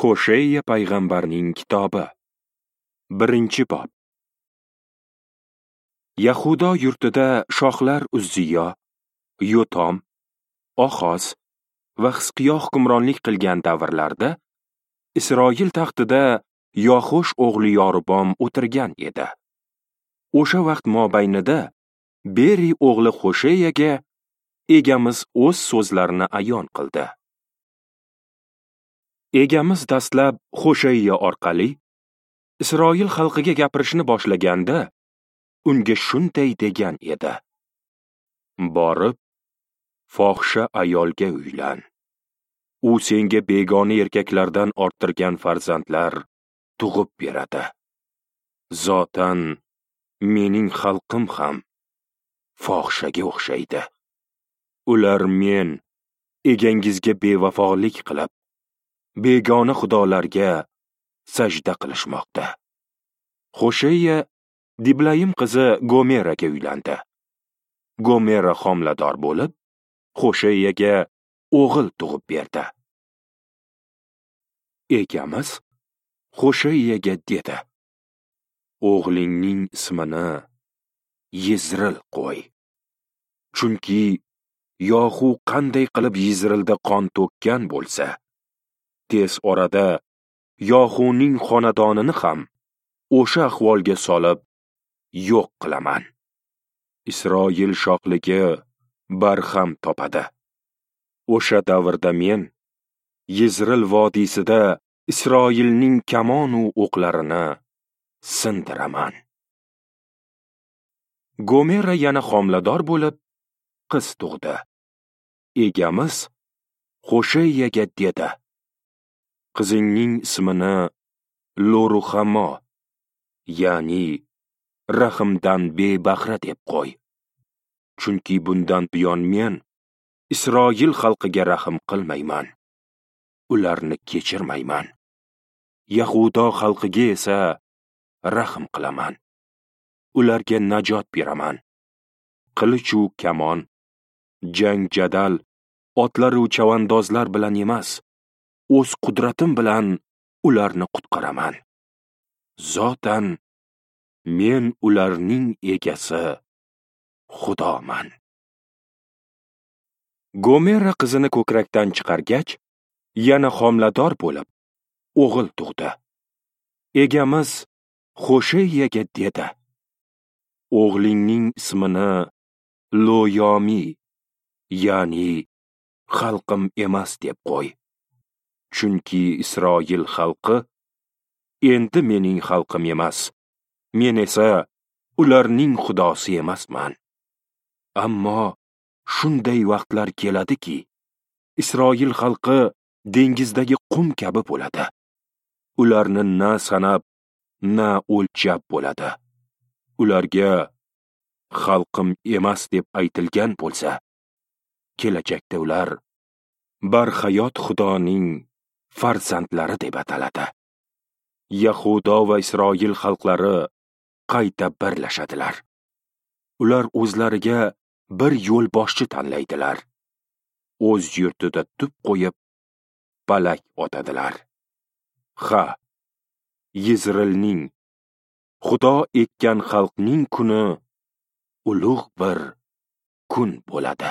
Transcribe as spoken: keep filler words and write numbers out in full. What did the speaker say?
Hosheya payg'ambarning kitobi. Birinchi bob. Yahudo yurtida shohlar Uzziyo, Yotom, Oxoz va Xizqiyo hukmronlik qilgan davrlarda Isroil taxtida Yoxosh o'g'li Yorobom o'tirgan edi. O'sha vaqt mobaynida Beri o'g'li Hosheyaga Egamiz o'z so'zlarini ayon qildi. Egamiz dastlab Hosheya orqali Isroil xalqiga gapirishni boshlaganda unga shunday degan edi: Borib fohisha ayolga uylan. U senga begona erkaklardan orttirgan farzandlar tug'ib beradi. Zotan mening xalqim ham fohishaga o'xshaydi. Ular men egangizga bevafolik qilib, begona xudolarga sajda qilishmoqda. Hosheya Diblayim qizi Gomeraga uylandi. Gomera homilador bo'lib, Hosheyaga o'g'il tug'ib berdi. Egamiz Hosheyaga dedi: O'g'lingning ismini Yizril qo'y. Chunki Yohu qanday qilib Yizrilda qon to'kkan bo'lsa, tez orada Yohuning xonadonini ham o'sha ahvolga solib yo'q qilaman. Isroil shohligi barham topadi. O'sha davrda men Yizril vodiysida Isroilning kamon u o'qlarini sindiraman. Gomera yana homilador bo'lib, qiz tug'di. Egamiz Hosheyaga dedi: Qizingning ismini Loruhamo, ya'ni rahimdan bebahra deb qo'y. Chunki bundan buyon men Isroil xalqiga rahm qilmayman. Ularni kechirmayman. Yahudo xalqiga esa rahm qilaman. Ularga najot beraman. Qilich u kamon, jang jadal, otlar u chavandozlar bilan emas, o'z qudratim bilan ularni qutqaraman. Zotan men ularning egasi Xudoman. Gomera qizini ko'krakdan chiqargach, yana homilador bo'lib, o'g'il tug'di. Egamiz Hosheyaga dedi: O'g'lingning ismini Loyomi, ya'ni xalqim emas deb qo'y. Chunki Isroil xalqi endi mening xalqim emas, men esa ularning xudosi emasman. Ammo shunday vaqtlar keladiki, Isroil xalqi dengizdagi qum kabi bo'ladi. Ularni na sanab, na o'lchab bo'ladi. Ularga xalqim emas deb aytilgan bo'lsa, kelajakda ular barhayot Xudoning farzandlari deb ataladi. Yahudo va Isroil xalqlari qayta birlashadilar. Ular o'zlariga bir yo'lboshchi tanlaydilar. O'z yurtida tub qo'yib, palak otadilar. Ha, Yizrilning, Xudo ekkan xalqning kuni ulug' bir kun bo'ladi.